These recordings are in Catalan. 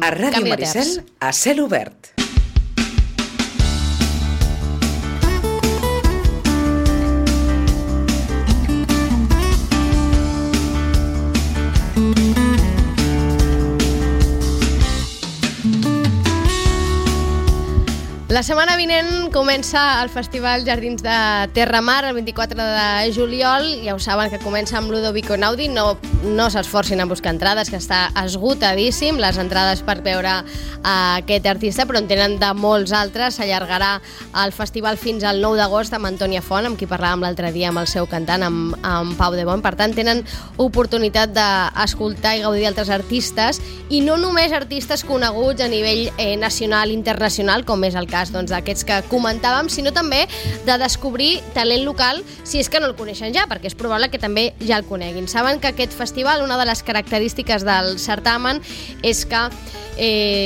A Ràdio Maricel, a cel obert. La setmana vinent comença el Festival Jardins de Terramar el 24 de juliol. Ja ho saben que comença amb Ludovico Einaudi. No s'esforcin a buscar entrades, que està esgotadíssim les entrades per veure aquest artista, però en tenen de molts altres. S'allargarà el festival fins al 9 d'agost amb Antònia Font, amb qui parlàvem l'altre dia amb el seu cantant, amb Pau de Bon. Per tant, tenen oportunitat d'escoltar i gaudir d'altres artistes, i no només artistes coneguts a nivell nacional i internacional, com és el cas d'aquests que comentàvem, sinó també de descobrir talent local, si és que no el coneixen ja, perquè és probable que també ja el coneguin. Saben que aquest festival, una de les característiques del certamen és que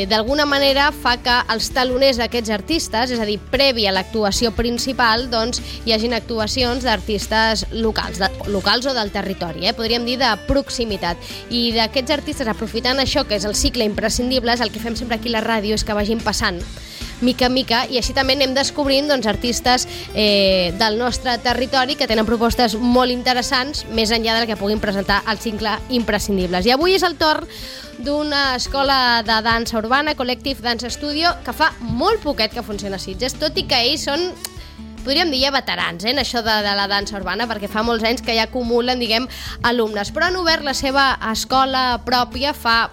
d'alguna manera fa que els taloners d'aquests artistes, és a dir, previ a l'actuació principal, doncs hi hagin actuacions d'artistes locals o del territori, podríem dir de proximitat. I d'aquests artistes, aprofitant això, que és el cicle imprescindibles, el que fem sempre aquí a la ràdio és que vagin passant mica en mica, i així també anem descobrint artistes del nostre territori que tenen propostes molt interessants, més enllà del que puguin presentar al cicle imprescindibles. I avui és el torn d'una escola de dansa urbana, Collective Dance Studio, que fa molt poquet que funciona a Sitges, tot i que ells són, podríem dir, ja veterans en això de la dansa urbana, perquè fa molts anys que ja acumulen, alumnes, però han obert la seva escola pròpia fa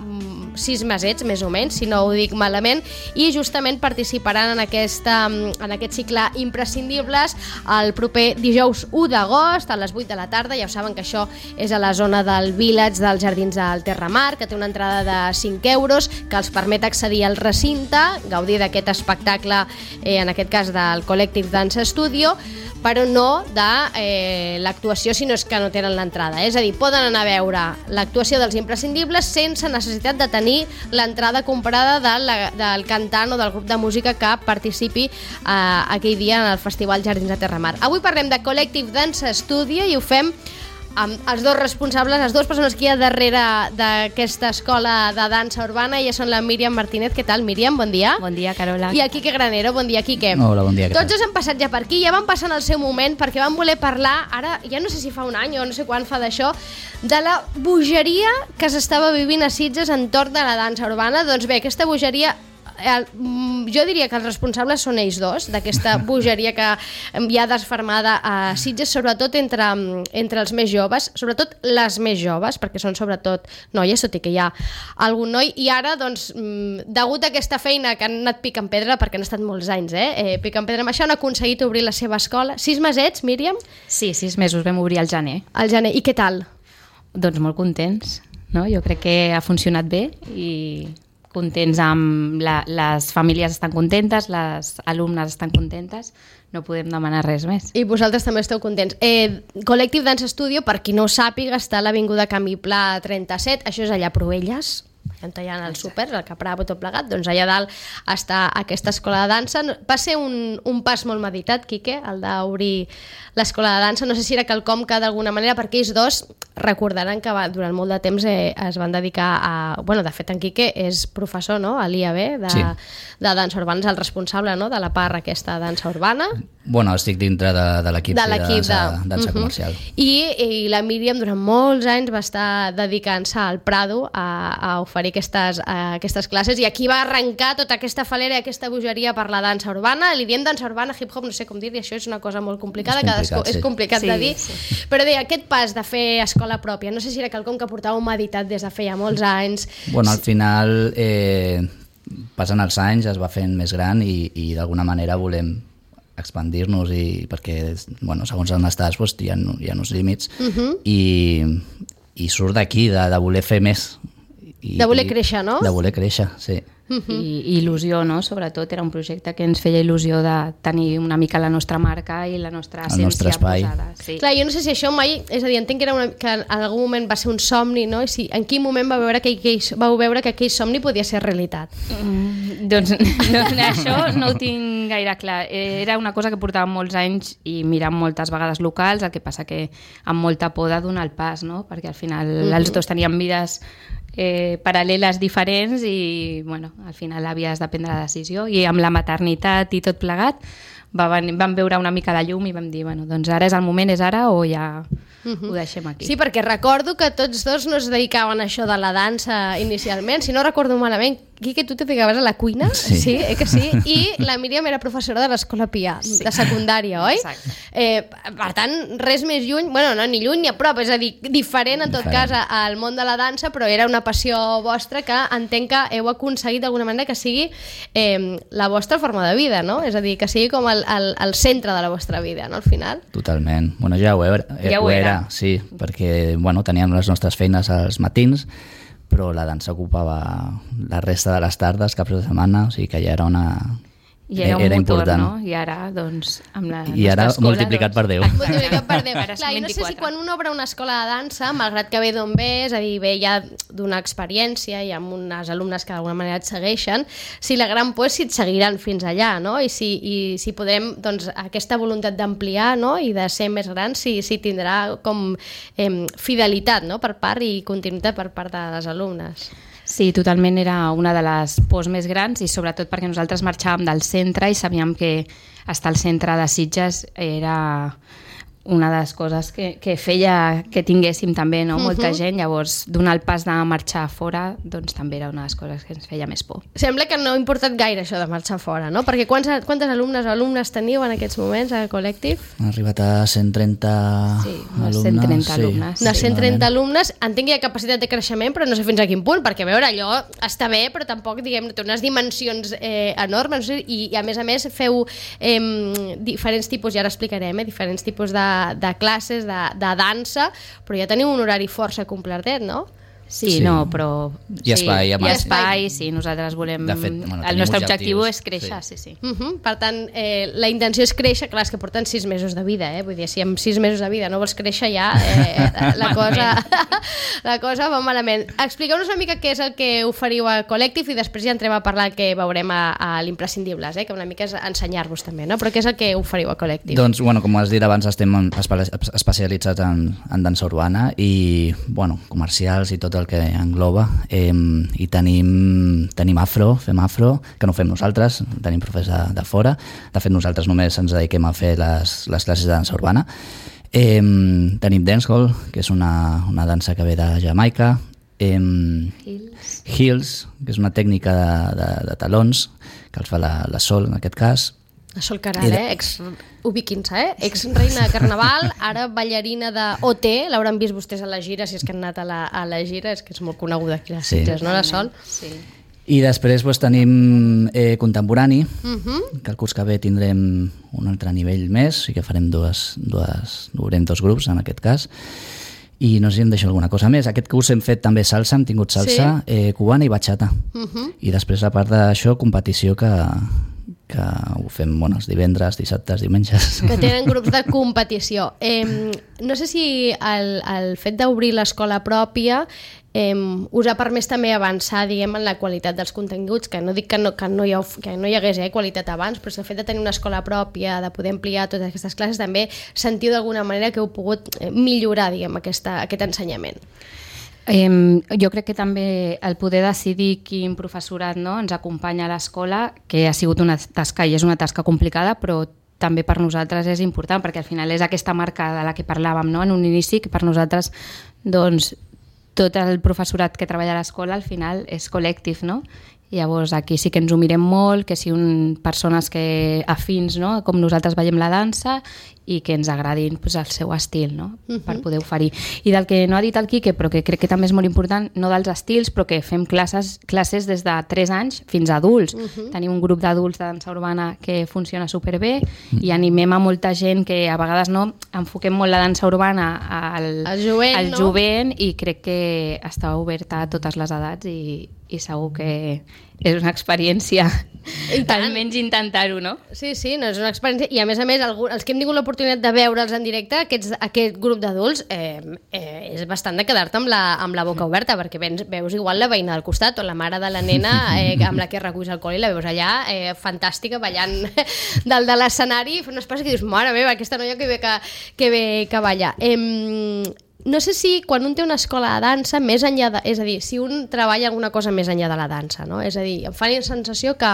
6 mesets, més o menys, si no ho dic malament, i justament participaran en aquest cicle imprescindibles el proper dijous 1 d'agost a les 8 de la tarda. Ja ho saben que això és a la zona del Village dels Jardins del Terramar, que té una entrada de 5 euros, que els permet accedir al recinte, gaudir d'aquest espectacle, en aquest cas del Collective Dance Studio, però no de l'actuació, si no és que no tenen l'entrada. És a dir, poden anar a veure l'actuació dels imprescindibles sense necessitat de tenir l'entrada comprada del cantant o del grup de música que participi aquell dia en el Festival Jardins de Terramar. Avui parlem de Collective Dance Studio i ho fem amb els dos responsables, les dues persones que hi ha darrere d'aquesta escola de dansa urbana. Elles són la Míriam Martínez. Què tal, Míriam? Bon dia. Bon dia, Carola. I el Quique Granero. Bon dia, Quique. Hola, bon dia. Tots dos han passat ja per aquí, ja van passar en el seu moment, perquè van voler parlar, ara ja no sé si fa un any o no sé quan fa d'això, de la bogeria que s'estava vivint a Sitges entorn de la dansa urbana. Doncs bé, aquesta bogeria, jo diria que els responsables són ells dos, d'aquesta bogeria que hi ha desfermada a Sitges, sobretot entre els més joves, sobretot les més joves, perquè són sobretot noies, tot i que hi ha algun noi, i ara, doncs, degut a aquesta feina que han anat picant pedra, perquè han estat molts anys, picant pedra amb això, han aconseguit obrir la seva escola. 6 mesets, Míriam? Sí, 6 mesos, vam obrir al gener. Al gener, i què tal? Doncs molt contents, no? Jo crec que ha funcionat bé i contents amb les famílies estan contentes, les alumnes estan contentes, no podem demanar res més. I vosaltres també esteu contents. Collective Dance Studio, per qui no ho sàpiga, està a l'Avinguda Camí Pla 37, això és allà a Proelles, on hi ha el súper, el Capravo, tot plegat, doncs allà dalt està aquesta escola de dansa. Va ser un pas molt meditat, Quique, el d'obrir l'escola de dansa. No sé si era quelcom que d'alguna manera, perquè ells dos recordaran que durant molt de temps es van dedicar a... Bueno, de fet, en Quique és professor, no?, a l'IAB de dansa urbana, és el responsable, no?, de la part aquesta de dansa urbana. Bueno, estic dintre de l'equip de dansa comercial. I la Míriam durant molts anys va estar dedicant-se al Prado a oferir aquestes classes, i aquí va arrencar tota aquesta falera i aquesta bogeria per la dansa urbana. Li diem dansa urbana, hip-hop, no sé com dir-li, això és una cosa molt complicada, és complicat de dir, però bé, aquest pas de fer escola pròpia, no sé si era quelcom que portàveu meditat des de feia molts anys. Bueno, al final, passant els anys, es va fent més gran i d'alguna manera volem expandir-nos, perquè segons on estàs hi ha uns límits, i surt d'aquí de voler fer més. De voler créixer, no? De voler créixer, sí. I il·lusió, no? Sobretot era un projecte que ens feia il·lusió de tenir una mica la nostra marca i la nostra essència posada. Sí. Clar, jo no sé si això mai... És a dir, entenc que en algun moment va ser un somni, no? I en quin moment vau veure que aquell somni podia ser realitat? Doncs això no ho tinc gaire clar. Era una cosa que portàvem molts anys i mirant moltes vegades locals, el que passa que amb molta por de donar el pas, no? Perquè al final els dos teníem vides paral·leles diferents i bueno, al final havies de prendre la decisió i amb la maternitat i tot plegat vam veure una mica de llum i vam dir, bueno, doncs ara és el moment, és ara o ja ho deixem aquí. Sí, perquè recordo que tots dos no es dedicaven a això de la dansa inicialment, si no recordo malament. Quique, tu te dedicaves a la cuina? Sí, que sí? I la Míriam era professora de l'Escola Pià, de secundària, oi? Exacte. Per tant, res més lluny, bueno, no, ni lluny ni a prop, és a dir, diferent en tot cas al món de la dansa, però era una passió vostra que entenc que heu aconseguit d'alguna manera que sigui la vostra forma de vida, no? És a dir, que sigui com el centre de la vostra vida, no, al final? Totalment. Bueno, ja ho era, sí, perquè bueno, teníem les nostres feines als matins, però la dansa ocupava la resta de les tardes, caps de setmana, o sigui que ja era I era un motor, important. no? I ara, doncs, amb la I ara escola, multiplicat per 10. Multiplicat per 10. Ara Clar, són i no sé si 24. quan un obre una escola de dansa, malgrat que ve d'on ve, és a dir, ve ja d'una experiència i amb unes alumnes que d'alguna manera et segueixen, si la gran por és si et seguiran fins allà, no? I si podrem, doncs, aquesta voluntat d'ampliar, no? I de ser més grans, si tindrà com fidelitat, no? Per part i continuïtat per part de les alumnes. Sí, totalment era una de les pors més grans i sobretot perquè nosaltres marxàvem del centre i sabíem que estar al centre de Sitges era una de les coses que feia que tinguéssim també, no? Molta gent, llavors donar el pas de marxar fora doncs també era una de les coses que ens feia més por. Sembla que no ha importat gaire això de marxar fora, no? Perquè quantes alumnes teniu en aquests moments a Collective? Han arribat a 130 unes 130 alumnes. Unes 130 alumnes. Entenc que hi ha capacitat de creixement, però no sé fins a quin punt, perquè a veure, allò està bé, però tampoc, diguem, té unes dimensions enormes, no sé, i a més feu diferents tipus, ja ara explicarem, diferents tipus de classes, de dansa, però ja teniu un horari força completet, no? Sí, no, però... I espai, I espai, sí, nosaltres volem... De fet, bueno, el nostre objectiu objectius, és créixer, sí. Per tant, la intenció és créixer, clar, és que porten 6 mesos de vida, vull dir, si amb 6 mesos de vida no vols créixer ja, la cosa va malament. Expliqueu-nos una mica què és el que oferiu a Collective i després ja entrem a parlar que veurem a l'Imprescindibles, que una mica és ensenyar-vos també, no? Però què és el que oferiu a Collective? Doncs, bueno, com has dit abans, estem especialitzats en dansa urbana i, bueno, comercials i tot el que engloba, i tenim afro, fem afro, que no fem nosaltres, tenim profes de fora. De fet, nosaltres només ens dediquem a fer les classes de dansa urbana. Tenim dancehall, que és una dansa que ve de Jamaica. Heels, que és una tècnica de talons, que els fa la Sol, en aquest cas. La Sol Caral, ubiquin-se, ex-reina de Carnaval, ara ballarina de OT, l'hauran vist vostès a la gira, si és que han anat a la gira, és que és molt coneguda aquí a les Sitges, no, la Sol? Sí. I després tenim contemporani, que el curs que ve tindrem un altre nivell més, o sigui que farem obrirem 2 grups en aquest cas, i no sé si em deixo alguna cosa més. Aquest curs hem fet també salsa, hem tingut salsa cubana i bachata, i després a part d'això competició que ho fem els divendres, dissabtes, diumenges. Que tenen grups de competició. No sé si el fet d'obrir l'escola pròpia us ha permès també avançar, diguem, en la qualitat dels continguts, que no dic que no hi hagués qualitat abans, però el fet de tenir una escola pròpia, de poder ampliar totes aquestes classes, també sentiu d'alguna manera que heu pogut millorar, diguem, aquest ensenyament. Jo crec que també el poder decidir quin professorat ens acompanya a l'escola, que ha sigut una tasca i és una tasca complicada, però també per nosaltres és important, perquè al final és aquesta marca de la que parlàvem, no? En un inici, que per nosaltres doncs, tot el professorat que treballa a l'escola al final és Collective, no? Llavors aquí sí que ens ho mirem molt, que siguin persones afins, no? Com nosaltres veiem la dansa i que ens agradin el seu estil, no? Per poder oferir. I del que no ha dit el Quique, però que crec que també és molt important, no dels estils, però que fem classes des de 3 anys fins a adults. Tenim un grup d'adults de dansa urbana que funciona superbé i animem a molta gent que a vegades no enfoquem molt la dansa urbana al jovent i crec que està oberta a totes les edats i segur que és una experiència, almenys intentar-ho, no? Sí, no, és una experiència, i a més, els que hem tingut l'oportunitat de veure'ls en directe, aquest grup d'adults, és bastant de quedar-te amb la boca oberta, perquè veus igual la veïna del costat o la mare de la nena amb la que reculls alcohol i la veus allà, fantàstica, ballant dalt de l'escenari, fent unes passes que dius, mare meva, aquesta noia que ve que balla. no sé si quan un té una escola de dansa, més enllà de... És a dir, si un treballa alguna cosa més enllà de la dansa, no? És a dir, em fa la sensació que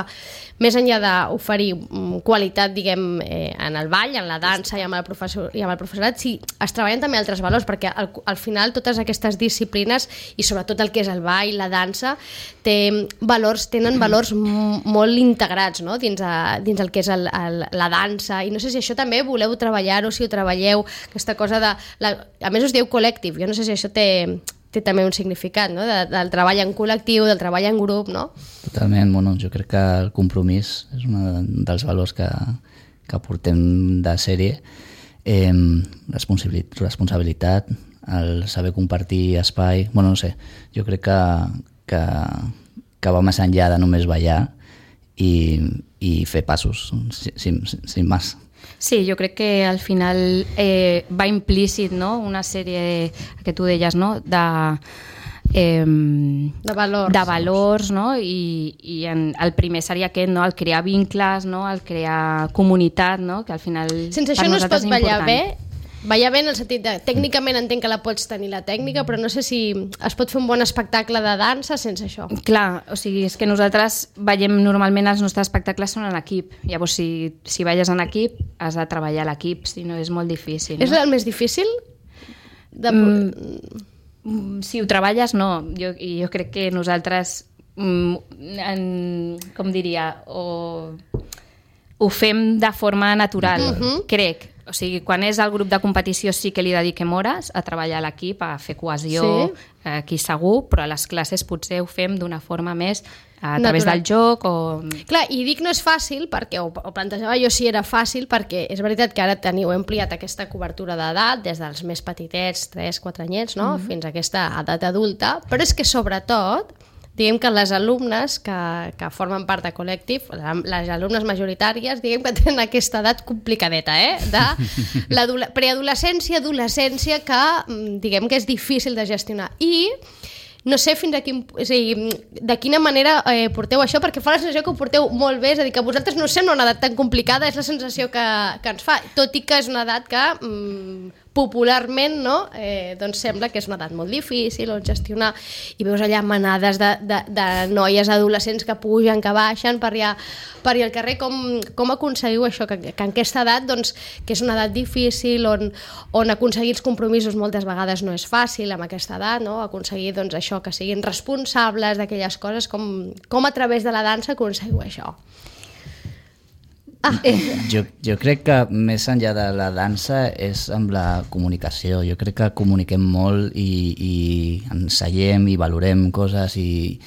més enllà d'oferir qualitat, diguem, en el ball, en la dansa i amb el professorat, sí, es treballen també altres valors, perquè al final totes aquestes disciplines, i sobretot el que és el ball, la dansa, tenen valors molt integrats, no? dins el que és la dansa, i no sé si això també voleu treballar-ho, si ho treballeu, aquesta cosa de... A més us dieu col·lectiu, jo no sé si això té també un significat, no? Del treball en col·lectiu, del treball en grup, no? Totalment, bueno, jo crec que el compromís és un dels valors que portem de sèrie, responsabilitat, el saber compartir espai, bueno, no sé, jo crec que va més enllà de només ballar i fer passos, sin más. Sí, jo crec que al final va implícit, no? Una sèrie que tu deies, no? De valors, no? I el primer seria aquest, no? El crear vincles, no? El crear comunitat, no? Que al final sense això no es pot ballar bé. Ballar bé en el sentit de, tècnicament entenc que la pots tenir la tècnica, però no sé si es pot fer un bon espectacle de dansa sense això. Clar, o sigui, és que nosaltres ballem normalment, els nostres espectacles són en equip. Llavors, si balles en equip, has de treballar a l'equip, si no és molt difícil. És el més difícil? Si ho treballes, no. Jo crec que nosaltres, com diria, ho fem de forma natural, crec. O sigui, quan és el grup de competició sí que li dediquem hores a treballar a l'equip, a fer cohesió, aquí segur, però a les classes potser ho fem d'una forma més a través del joc o... Clar, i dic no és fàcil, perquè ho plantejava jo si era fàcil, perquè és veritat que ara heu ampliat aquesta cobertura d'edat, des dels més petitets, 3-4 anyets, no? Fins a aquesta edat adulta, però és que sobretot diguem que les alumnes que formen part de col·lectiu, les alumnes majoritàries, diguem que tenen aquesta edat complicadeta, de la preadolescència, adolescència, que diguem que és difícil de gestionar. I no sé fins a de quina manera porteu això, perquè fa la sensació que ho porteu molt bé, és a dir, que a vosaltres no us sembla una edat tan complicada, és la sensació que ens fa, tot i que és una edat que popularment, no? Doncs sembla que és una edat molt difícil on gestionar, i veus allà manades de noies adolescents que pugen, que baixen per allà al carrer. Com aconseguiu això, que en aquesta edat, doncs, que és una edat difícil, on aconseguir els compromisos moltes vegades no és fàcil amb aquesta edat, no? Aconseguir doncs, això, que siguin responsables d'aquelles coses, com a través de la dansa aconseguiu això? Jo crec que més enllà de la dansa és amb la comunicació. Jo crec que comuniquem molt i ensellem i valorem coses i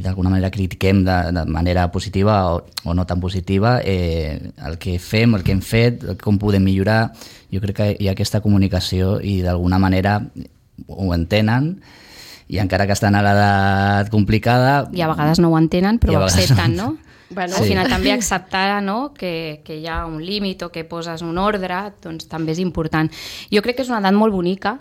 d'alguna manera critiquem de manera positiva o no tan positiva el que fem, el que hem fet, com podem millorar. Jo crec que hi ha aquesta comunicació i d'alguna manera ho entenen, i encara que estan a l'edat complicada... I a vegades no ho entenen, però ho accepten, no? Bueno, al final també acceptar, no? que hi ha un límit o que poses un ordre, doncs també és important. Jo crec que és una edat molt bonica.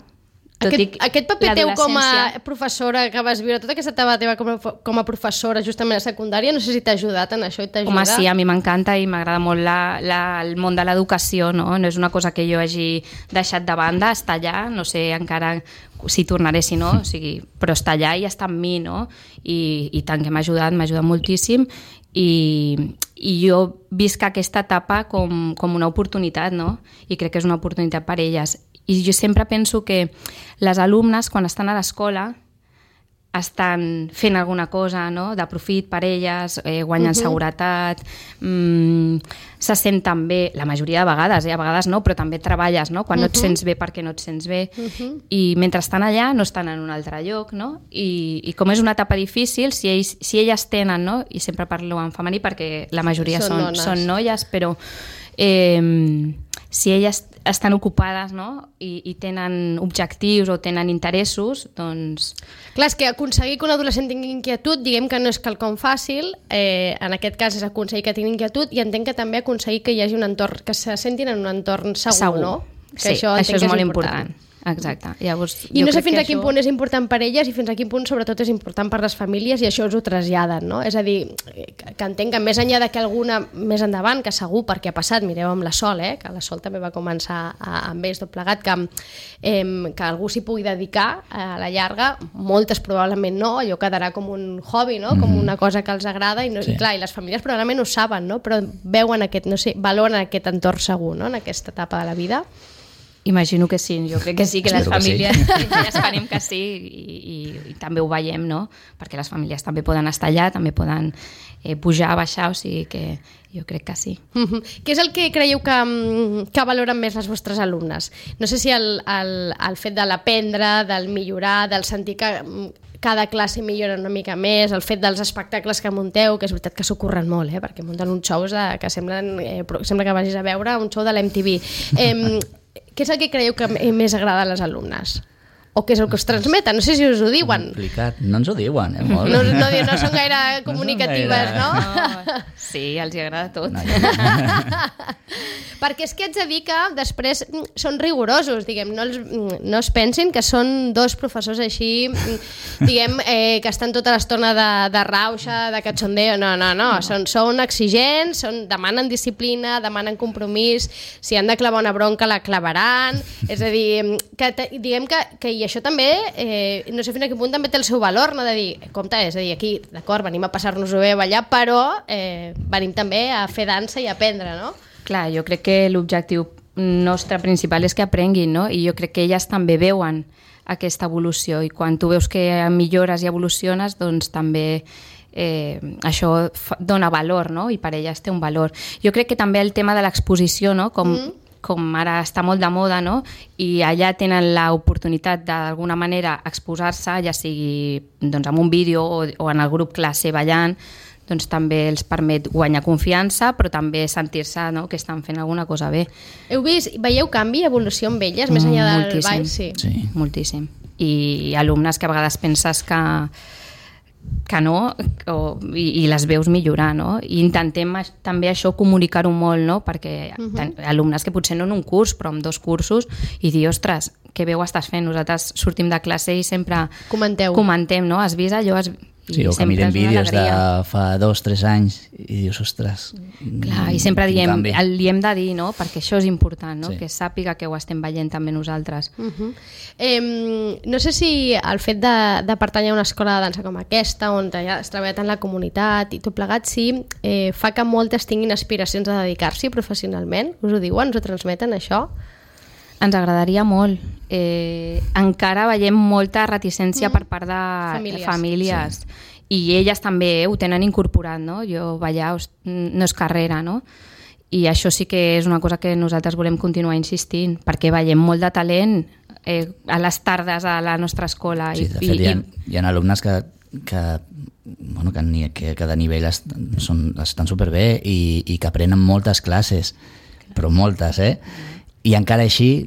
Aquest paper teu com a professora que vas viure, tota aquesta etapa teva com a professora justament a secundària, no sé si t'ha ajudat en això i t'ajuda? Home, sí, a mi m'encanta i m'agrada molt el món de l'educació, no? No és una cosa que jo hagi deixat de banda, està allà, no sé encara si tornaré, si no, o sigui, però està allà i està amb mi, no? I tant que m'ha ajudat moltíssim, i jo visc aquesta etapa com una oportunitat, no? I crec que és una oportunitat per elles. I jo sempre penso que les alumnes, quan estan a l'escola, estan fent alguna cosa, no? De profit per elles, guanyen seguretat, se senten bé, la majoria de vegades, a vegades no, però també treballes, no? Quan no et sents bé perquè no et sents bé, i mentre estan allà no estan en un altre lloc, no? I com és una etapa difícil, si elles tenen, no? I sempre parlo en femení perquè la majoria són noies, però si elles estan ocupades, no? I tenen objectius o tenen interessos, doncs... Clar, és que aconseguir que un adolescent tingui inquietud, diguem que no és quelcom fàcil, en aquest cas és aconseguir que tingui inquietud, i entenc que també aconseguir que hi hagi un entorn, que se sentin en un entorn segur. No? Que sí, això és molt important. Exacte. Llavors, I no sé fins a quin punt és important per elles i fins a quin punt sobretot és important per les famílies i això us ho traslladen, no? És a dir, que entenc que més enllà de que alguna més endavant, que segur perquè ha passat, mireu amb la Sol, que la Sol també va començar amb ells tot plegat, que algú s'hi pugui dedicar a la llarga, moltes probablement no, allò quedarà com un hobby, no? Com una cosa que els agrada i clar, i les famílies probablement ho saben, no? Però veuen aquest, no sé, valoren aquest entorn segur, no? En aquesta etapa de la vida. Imagino que sí, jo crec que sí, que les Espero que sí. famílies ja esperem que sí i també ho veiem, no? Perquè les famílies també poden estar allà, també poden pujar, baixar, o sigui que jo crec que sí. Què és el que creieu que valoren més les vostres alumnes? No sé si el fet de l'aprendre, del millorar, del sentir que cada classe millora una mica més, el fet dels espectacles que munteu, que és veritat que s'ho curren molt, perquè munten uns shows que sembla que vagis a veure un show de l'MTV. Què és el que creieu que més agrada a les alumnes? O què és el que us transmeten? No sé si us ho diuen. Complicat. No ens ho diuen, molt. No són gaire comunicatives, no? No, sí, els hi agrada tot. No, Perquè és que haig de dir que després són rigorosos, diguem, no es pensin que són dos professors així, diguem, que estan tota l'estona de rauxa, de cachondeo, no. Són exigents, demanen disciplina, demanen compromís, si han de clavar una bronca la clavaran, és a dir, diguem que i això també, no sé fins a quin punt també té el seu valor, no? De dir, compte, és a dir, aquí, d'acord, venim a passar-nos-ho bé a ballar, però venim també a fer dansa i a aprendre, no? Clar, jo crec que l'objectiu nostre principal és que aprenguin, no? I jo crec que elles també veuen aquesta evolució i quan tu veus que millores i evoluciones, doncs també això dona valor, no? I per elles té un valor. Jo crec que també el tema de l'exposició, no? Com ara està molt de moda, no? I allà tenen l'oportunitat d'alguna manera exposar-se, ja sigui doncs, amb un vídeo o en el grup classe ballant, doncs també els permet guanyar confiança, però també sentir-se, no?, que estan fent alguna cosa bé. Veieu canvi, evolució amb elles, més enllà del ball? Sí, moltíssim. I alumnes que a vegades penses que no, i les veus millorar, no? I intentem també això comunicar-ho molt, no? Perquè alumnes que potser no en un curs, però en 2 cursos, i dir, ostres, que bé ho estàs fent? Nosaltres sortim de classe i sempre comentem, no? Has vist allò? Sí, o que miren vídeos de fa 2-3 anys i dius, ostres... Clar, i sempre li hem de dir, no? Perquè això és important, no? Sí. Que sàpiga que ho estem veient també nosaltres. No sé si el fet de pertànyer a una escola de dansa com aquesta, on ja has treballat en la comunitat i tot plegat, sí, fa que moltes tinguin aspiracions a dedicar-s'hi professionalment. Us ho diuen? Us ho transmeten, això? Ens agradaria molt. Encara veiem molta reticència per part de famílies. Sí. I elles també ho tenen incorporat, no? Jo ballar no és carrera, no? I això sí que és una cosa que nosaltres volem continuar insistint, perquè veiem molt de talent a les tardes a la nostra escola. Sí, de fet, hi ha alumnes que de nivell estan superbé i que aprenen moltes classes, però moltes, i encara així,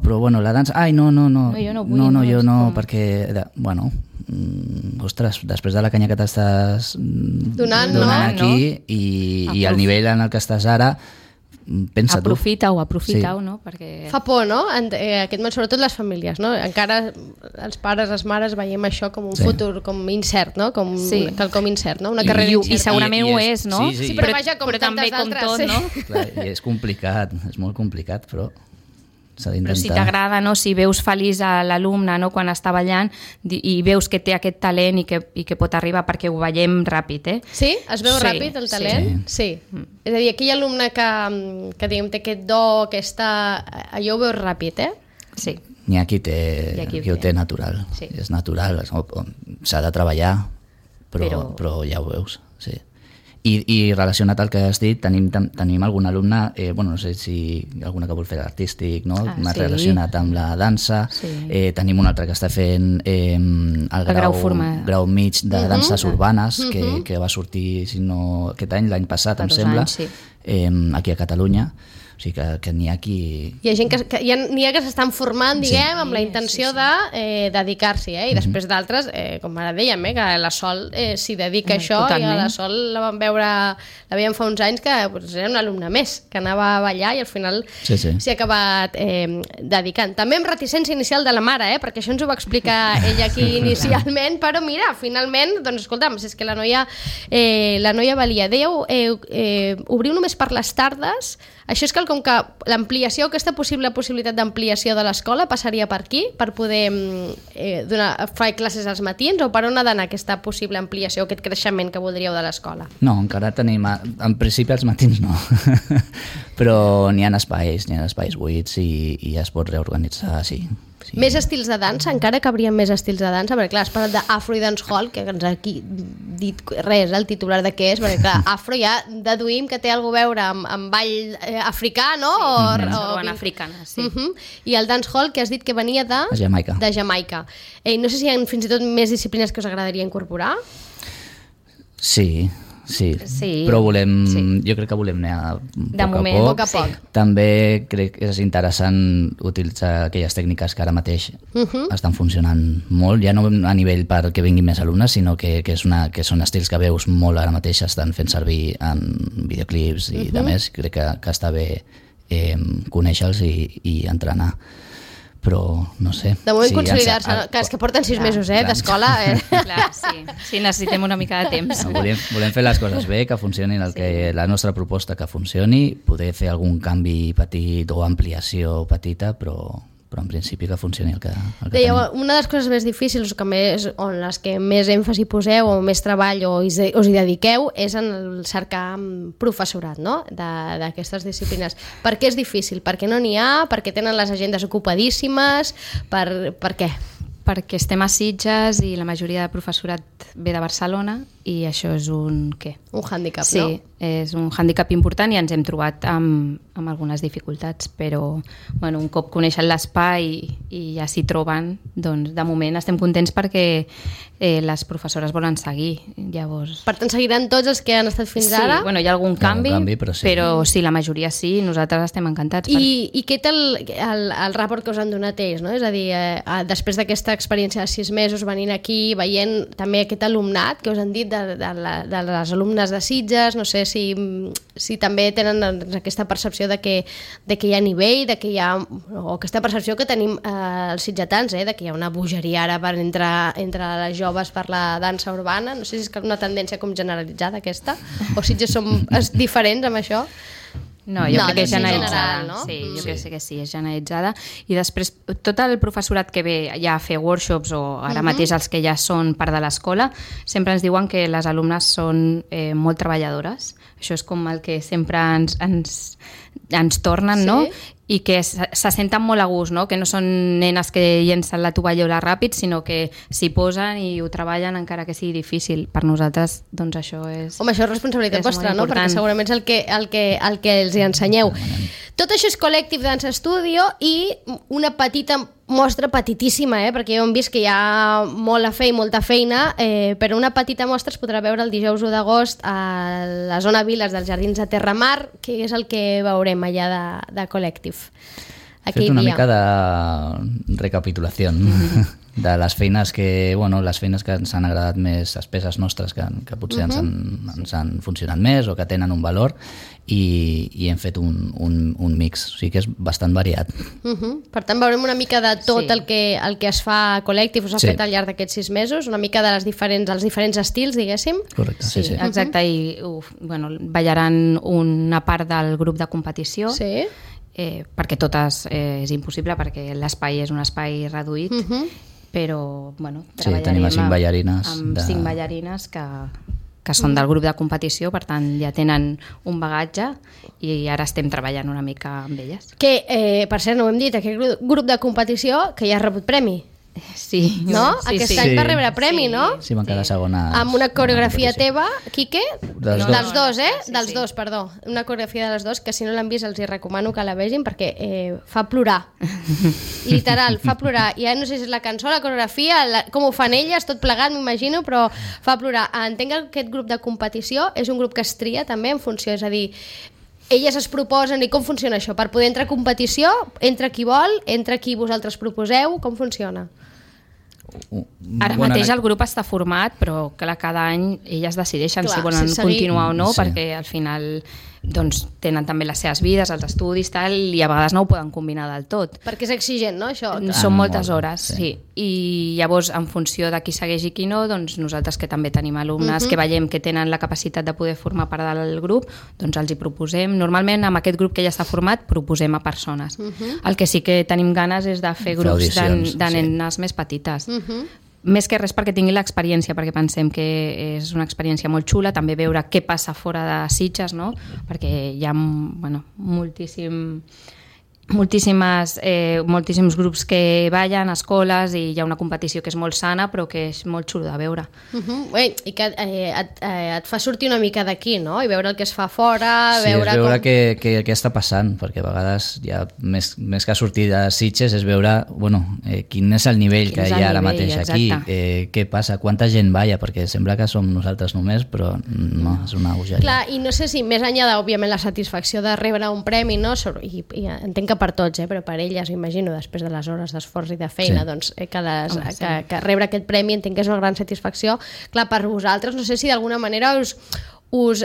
però la dansa, no, jo no vull, perquè, ostres, després de la canya que t'estàs donant aquí i el nivell en el que estàs ara, pensa tu. Aprofita-ho, no? Perquè... Fa por, no? Sobretot les famílies, no? Encara els pares, les mares veiem això com un futur, com incert, no? Com quelcom incert, no? Una carrera incert. I segurament ho és, no? Sí, però vaja, com també com tot, no? Clar, i és complicat, és molt complicat, però s'ha d'intentar. Però si t'agrada, no? Si veus feliç a l'alumne, no? Quan està ballant i veus que té aquest talent i que pot arribar, perquè ho veiem ràpid, Sí? Es veu ràpid el talent? Sí. És a dir, aquell alumne que diguem, té aquest do, allò ho veus ràpid, Sí. N'hi ha qui ho té natural. Sí. És natural, s'ha de treballar, però ja ho veus, sí. I relacionat al que has dit, tenim algun alumne, no sé si alguna que vol fer artístic, no? Més relacionat amb la dansa. Tenim un altre que està fent el grau mig de danses urbanes, que va sortir, si no aquest any, l'any passat, em sembla, aquí a Catalunya. O sigui que n'hi ha qui... Hi ha gent n'hi ha que s'estan formant, diguem, amb la intenció de dedicar-s'hi, i després d'altres, com ara dèiem, que la Sol s'hi dedica a això, i a la Sol la veiem fa uns anys que era un alumne més, que anava a ballar i al final s'hi ha acabat dedicant. També amb reticència inicial de la mare, perquè això ens ho va explicar ella aquí inicialment, però mira, finalment, doncs escolta'm, si és que la noia valia. Dèieu, obriu només per les tardes. Això és com que l'ampliació, aquesta possibilitat d'ampliació de l'escola passaria per aquí, per poder fer classes als matins, o per on ha d'anar aquesta possible ampliació, aquest creixement que voldríeu de l'escola? No, encara tenim... En principi els matins no, però n'hi ha espais buits i es pot reorganitzar, sí. Més estils de dansa, encara cabrien més estils de dansa, perquè clar, has parlat d'Afro i Dancehall, que ens ha dit res, el titular de què és, perquè clar, Afro ja deduïm que té alguna a veure amb ball africà, no? O africana, sí. I el Dancehall, que has dit que venia de Jamaica. No sé si hi ha fins i tot més disciplines que us agradaria incorporar? Sí, però jo crec que volem anar a poc a poc. També crec que és interessant utilitzar aquelles tècniques que ara mateix estan funcionant molt, ja no a nivell perquè vinguin més alumnes, sinó que són estils que veus molt ara mateix estan fent servir en videoclips i de més. Crec que està bé conèixer-los i entrenar, però no sé. De moment consolidar-se, que és que porten 6 mesos d'escola. Clar, sí, necessitem una mica de temps. Volem fer les coses bé, que funcionin la nostra proposta que funcioni, poder fer algun canvi petit o ampliació petita, però en principi que funcioni el que tenim. Una de les coses més difícils on les que més èmfasi poseu o més treball o us hi dediqueu és en el cercar professorat, no? D'aquestes disciplines. Per què és difícil? Per què no n'hi ha? Per què tenen les agendes ocupadíssimes? Per què? Perquè estem a Sitges i la majoria de professorat ve de Barcelona i això és un hàndicap, no? Sí, és un hàndicap important i ens hem trobat amb algunes dificultats, però un cop coneixen l'espai i ja s'hi troben, doncs de moment estem contents perquè les professores volen seguir. Llavors... Per tant, seguiran tots els que han estat fins ara? Sí, hi ha algun canvi, però sí, la majoria sí, nosaltres estem encantats. I què tal el rapport que us han donat ells, no? És a dir, després d'aquesta experiència de 6 mesos venint aquí, veient també aquest alumnat que us han dit de les alumnes de Sitges, no sé si també tenen aquesta percepció de que hi ha nivell, de que hi ha, o aquesta percepció que tenim els sitgetans, de que hi ha una bogeria ara entre les joves per la dansa urbana. No sé si és una tendència com generalitzada aquesta, o Sitges som diferents amb això. No, jo crec que és generalitzada. No? Sí, jo crec que sí, és generalitzada. I després, tot el professorat que ve ja a fer workshops o ara mateix els que ja són part de l'escola, sempre ens diuen que les alumnes són molt treballadores. Això és com el que sempre ens tornen, no? I que se senten molt a gust, no? Que no són nenes que llencen la tovallola ràpid, sinó que s'hi posen i ho treballen encara que sigui difícil. Per nosaltres, doncs això és... Home, això és responsabilitat vostra, no? Perquè segurament és el que els hi ensenyeu. Tot això és Col·lective Dance Studio i una petita mostra, petitíssima, perquè ja hem vist que hi ha molt a fer i molta feina, però una petita mostra es podrà veure el dijous 1 d'agost a la zona Viles dels Jardins de Terramar, que és el que veurem allà de Col·lective. He fet una mica de recapitulació de les feines que ens han agradat més, les peces nostres que potser ens han funcionat més o que tenen un valor, i hem fet un mix, o sigui que és bastant variat. Per tant, veurem una mica de tot el que es fa a Col·lective, us ha fet al llarg d'aquests 6 mesos, una mica dels diferents estils, diguéssim. Correcte, sí. Exacte, i ballaran una part del grup de competició, perquè totes és impossible, perquè l'espai és un espai reduït, però tenim 5 ballarines amb 5 ballarines que són del grup de competició, per tant ja tenen un bagatge i ara estem treballant una mica amb elles. Que, per cert, no ho hem dit, aquest grup de competició que ja ha rebut premi. Sí. No? Aquest any va rebre premi, no? Sí, van quedar segones. Amb una coreografia teva, Quique? Dels dos, dels dos, perdó. Una coreografia de les dos, que si no l'han vist els hi recomano que la vegin, perquè fa plorar. Literal, fa plorar. Ja no sé si és la cançó, la coreografia, com ho fan elles, tot plegat, m'imagino, però fa plorar. Entenc que aquest grup de competició és un grup que es tria també en funció, és a dir, elles es proposen, i com funciona això? Per poder entrar a competició, entra qui vol, entra qui vosaltres proposeu, com funciona? Ara mateix el grup està format, però clar, cada any elles decideixen si volen continuar o no, perquè al final doncs, tenen també les seves vides, els estudis, tal, i a vegades no ho poden combinar del tot. Perquè és exigent, no, això? Són moltes hores, sí. I llavors, en funció de qui segueix i qui no, doncs nosaltres que també tenim alumnes que veiem que tenen la capacitat de poder formar part del grup, doncs els hi proposem. Normalment, amb aquest grup que ja està format, proposem a persones. El que sí que tenim ganes és de fer grups de nenes més petites. Més que res perquè tingui l'experiència, perquè pensem que és una experiència molt xula, també veure què passa fora de Sitges, no? Perquè hi ha moltíssims grups que ballen a escoles i hi ha una competició que és molt sana però que és molt xulo de veure. I que et fa sortir una mica d'aquí, no? I veure el que es fa fora, veure què està passant, perquè a vegades ja més que sortir de Sitges és veure quin és el nivell que hi ha ara mateix aquí, què passa, quanta gent balla, perquè sembla que som nosaltres només, però no, és una bogeria. Clar, i no sé si més enllà d'òbviament la satisfacció de rebre un premi, no? I entenc que per tots, però per elles, imagino, després de les hores d'esforç i de feina, doncs que rebre aquest premi entenc que és una gran satisfacció. Clar, per vosaltres, no sé si d'alguna manera us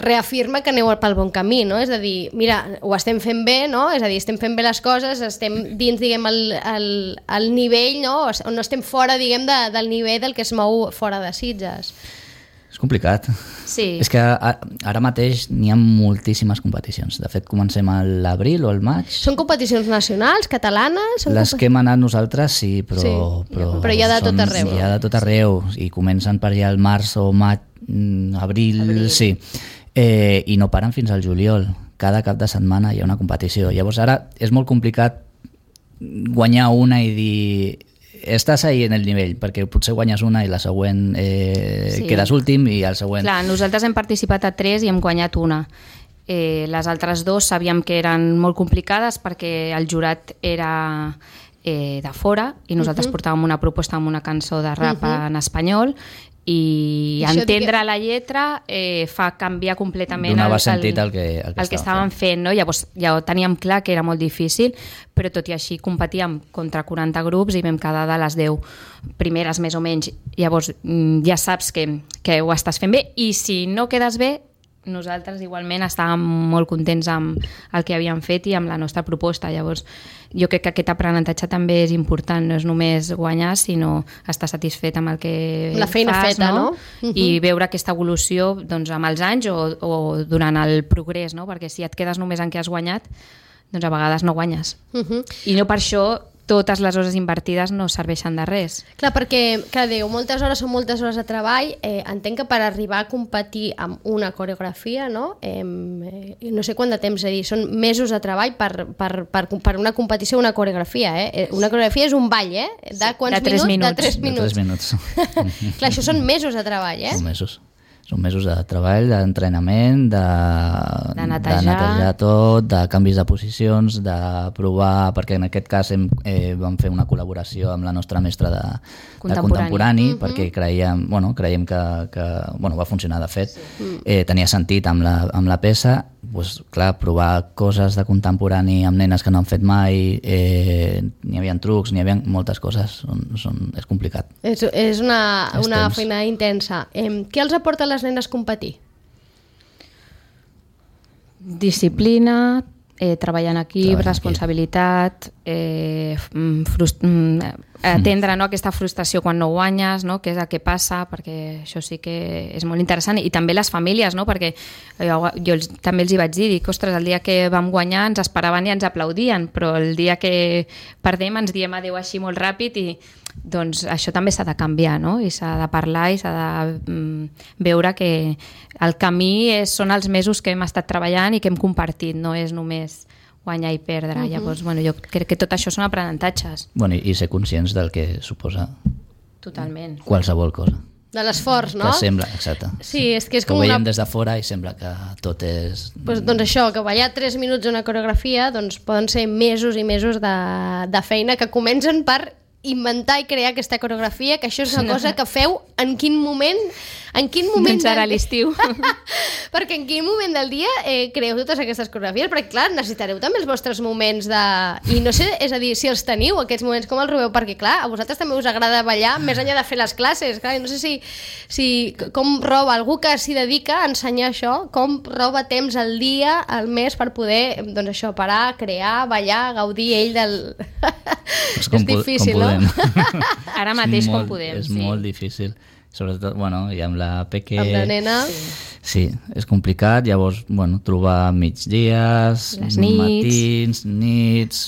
reafirma que aneu pel bon camí, no? És a dir, mira, ho estem fent bé, no? És a dir, estem fent bé les coses, estem dins, diguem, el nivell, no? O no estem fora, diguem, del nivell del que es mou fora de Sitges. És complicat. Sí. És que ara mateix n'hi ha moltíssimes competicions. De fet, comencem a l'abril o al maig. Són competicions nacionals, catalanes? Les que hem anat nosaltres, sí, però hi ha de tot arreu. Hi ha de tot arreu, i comencen per allà al març o maig, abril, sí. I no paren fins al juliol. Cada cap de setmana hi ha una competició. Llavors ara és molt complicat guanyar una i dir estàs ahí en el nivell, perquè potser guanyes una i la següent quedes últim i el següent... Clar, nosaltres hem participat a 3 i hem guanyat una. Les altres 2 sabíem que eren molt complicades perquè el jurat era de fora i nosaltres portàvem una proposta amb una cançó de rap en espanyol i entendre la lletra fa canviar completament donava sentit el que estàvem fent, no? Llavors ja ho teníem clar que era molt difícil, però tot i així competíem contra 40 grups i vam quedar de les 10 primeres més o menys. Llavors ja saps que ho estàs fent bé, i si no quedes bé, nosaltres igualment estàvem molt contents amb el que havíem fet i amb la nostra proposta. Llavors jo crec que aquest aprenentatge també és important, no és només guanyar, sinó estar satisfet amb el que la feina fas, feta, no? I veure aquesta evolució doncs, amb els anys o durant el progrés, no? Perquè si et quedes només en què has guanyat, doncs a vegades no guanyes. I no per això totes les hores invertides no serveixen de res. Clar, perquè, clar, diu, moltes hores són moltes hores de treball. Entenc que per arribar a competir amb una coreografia, no? No sé quant de temps, és a dir, són mesos de treball per una competició, una coreografia, Una coreografia és un ball, De quants minuts? De 3 minuts. De 3 minuts. Clar, això són mesos de treball, Són mesos de treball, d'entrenament, de netejar tot, de canvis de posicions, de provar, perquè en aquest cas vam fer una col·laboració amb la nostra mestra de contemporani, perquè creiem que va funcionar de fet. Tenia sentit amb la peça, doncs, clar, provar coses de contemporani amb nenes que no han fet mai, n'hi havia trucs, n'hi havia moltes coses, és complicat. És una feina intensa. Què els aporta a les nenes competir? Disciplina, treballar en equip, responsabilitat, atendre aquesta frustració quan no guanyes, no? Què és el que passa, perquè això sí que és molt interessant, i també les famílies, no? Perquè jo també els hi vaig dir, ostres, el dia que vam guanyar ens esperaven i ens aplaudien, però el dia que perdem ens diem adeu així molt ràpid, i doncs això també s'ha de canviar, no? I s'ha de parlar i s'ha de veure que el camí són els mesos que hem estat treballant i que hem compartit, no és només guanyar i perdre. Llavors, jo crec que tot això són aprenentatges. I ser conscients del que suposa totalment qualsevol cosa. De l'esforç, no? Que sembla, exacte. Sí, és que és com ho veiem des de fora i sembla que tot és... Doncs això, que ballar 3 minuts una coreografia doncs poden ser mesos i mesos de feina que comencen per inventar i crear aquesta coreografia, que això és una cosa que feu en quin moment... Doncs ara a l'estiu. Perquè en quin moment del dia creeu totes aquestes coreografies? Perquè, clar, necessitareu també els vostres moments de... I no sé, és a dir, si els teniu, aquests moments, com els robeu? Perquè, clar, a vosaltres també us agrada ballar més enllà de fer les classes. Clar, no sé si com roba algú que s'hi dedica a ensenyar això, com roba temps al dia, al mes, per poder, doncs això, parar, crear, ballar, gaudir ell del... És difícil, com no? Ara mateix com podem. És molt difícil. Sobretot, bueno, i amb la Peque... Amb la nena... Sí, és complicat, llavors, bueno, trobar migdies, les nits, matins, nits...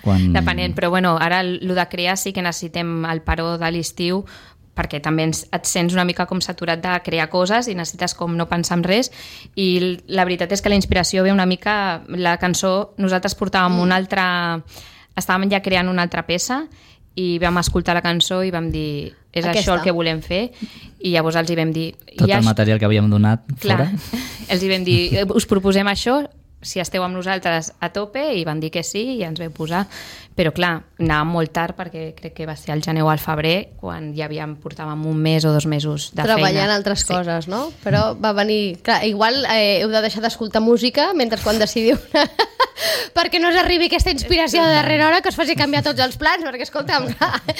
Quan... Depenent, però bueno, ara el de crear sí que necessitem el paró de l'estiu perquè també et sents una mica com saturat de crear coses i necessites com no pensar en res, i la veritat és que la inspiració ve una mica... La cançó, nosaltres portàvem una altra... Estàvem ja creant una altra peça i vam escoltar la cançó i vam dir és això el que volem fer, i llavors els hi vam dir... Tot el material que havíem donat fora. Els hi vam dir, us proposem això, si esteu amb nosaltres a tope, i van dir que sí i ens vam posar. Però clar, anàvem molt tard perquè crec que va ser al gener o al febrer, quan ja portàvem 1 mes o 2 mesos de feina. Treballant altres coses, no? Però va venir... Clar, igual heu de deixar d'escoltar música mentre quan decidiu perquè no us arribi aquesta inspiració de darrera hora que us faci canviar tots els plans, perquè escolta'm...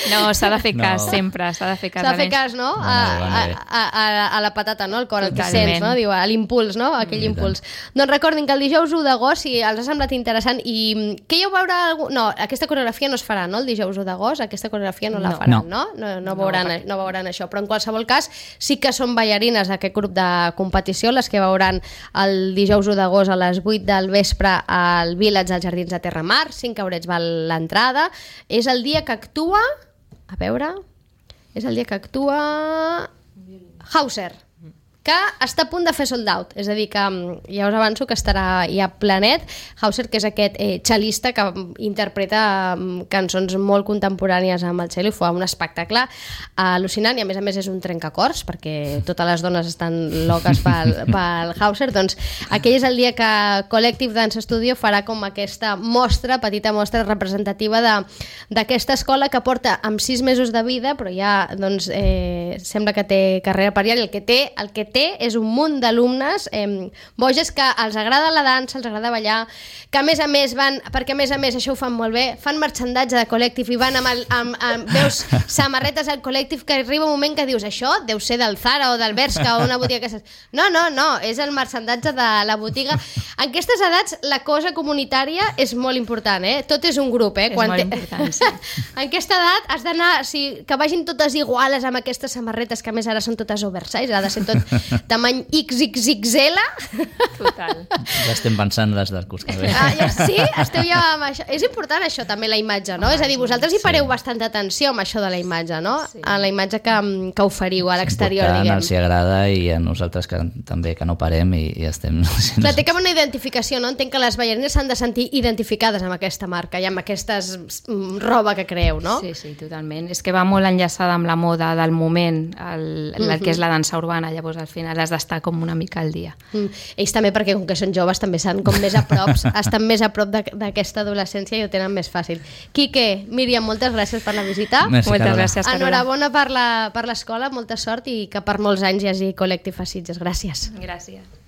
No, s'ha de fer cas sempre, s'ha de fer cas. S'ha de fer cas, no? A la patata, no? El cor, el que sents, no? Diu, a l'impuls, no? Aquell impuls. Doncs recordin que el dijous 1 d'agost, si els ha semblat interessant, i què hi veure... No, aquesta coreografia no es farà, no? El dijous 1 d'agost, aquesta coreografia no la faran, no? No veuran això, però en qualsevol cas sí que són ballarines d'aquest grup de competició, les que veuran el dijous 1 d'agost a les 8 del vespre al Village als Jardins de Terramar, 5 eurets val l'entrada. És el dia que actua... A veure... És el dia que actua... Hauser, que està a punt de fer sold out, és a dir, que ja us avanço que estarà ja plenet. Hauser, que és aquest cel·lista que interpreta cançons molt contemporànies amb el cello, i fa un espectacle al·lucinant, i a més és un trencacors, perquè totes les dones estan loques pel Hauser. Doncs aquell és el dia que Collective Dance Studio farà com aquesta mostra, petita mostra representativa d'aquesta escola que porta amb 6 mesos de vida, però ja doncs, sembla que té carrera per allà, i el que té és un munt d'alumnes boges que els agrada la dansa, els agrada ballar, que a més van, perquè a més això ho fan molt bé, fan marxandatge de Collective i van veus samarretes al Collective, que arriba un moment que dius, això deu ser del Zara o del Bershka o una botiga que... No, és el marxandatge de la botiga. En aquestes edats la cosa comunitària és molt important, tot és un grup, És molt important, sí. En aquesta edat has d'anar, que vagin totes iguales amb aquestes samarretes, que a més ara són totes oversize, ha de ser tot tamany XXXL. Total. Ja estem pensant les del curs que ve. Sí? Esteu ja amb això. És important això també, la imatge, no? És a dir, vosaltres hi pareu bastanta atenció amb això de la imatge, no? Sí. A la imatge que oferiu a l'exterior, diguem. Els hi agrada, i a nosaltres també que no parem i estem... Clar, té com una identificació, no? Entenc que les ballarines s'han de sentir identificades amb aquesta marca i amb aquesta roba que creeu, no? Sí, totalment. És que va molt enllaçada amb la moda del moment, el que és la dansa urbana, llavors al final has d'estar com una mica al dia. Ells també, perquè com que són joves també estan com més a prop, estan més a prop d'aquesta adolescència i ho tenen més fàcil. Quique, Míriam, moltes gràcies per la visita. Merci, moltes gràcies, Carola. Enhorabona per l'escola, molta sort, i que per molts anys hi hagi Collective a Sitges. Gràcies. Gràcies.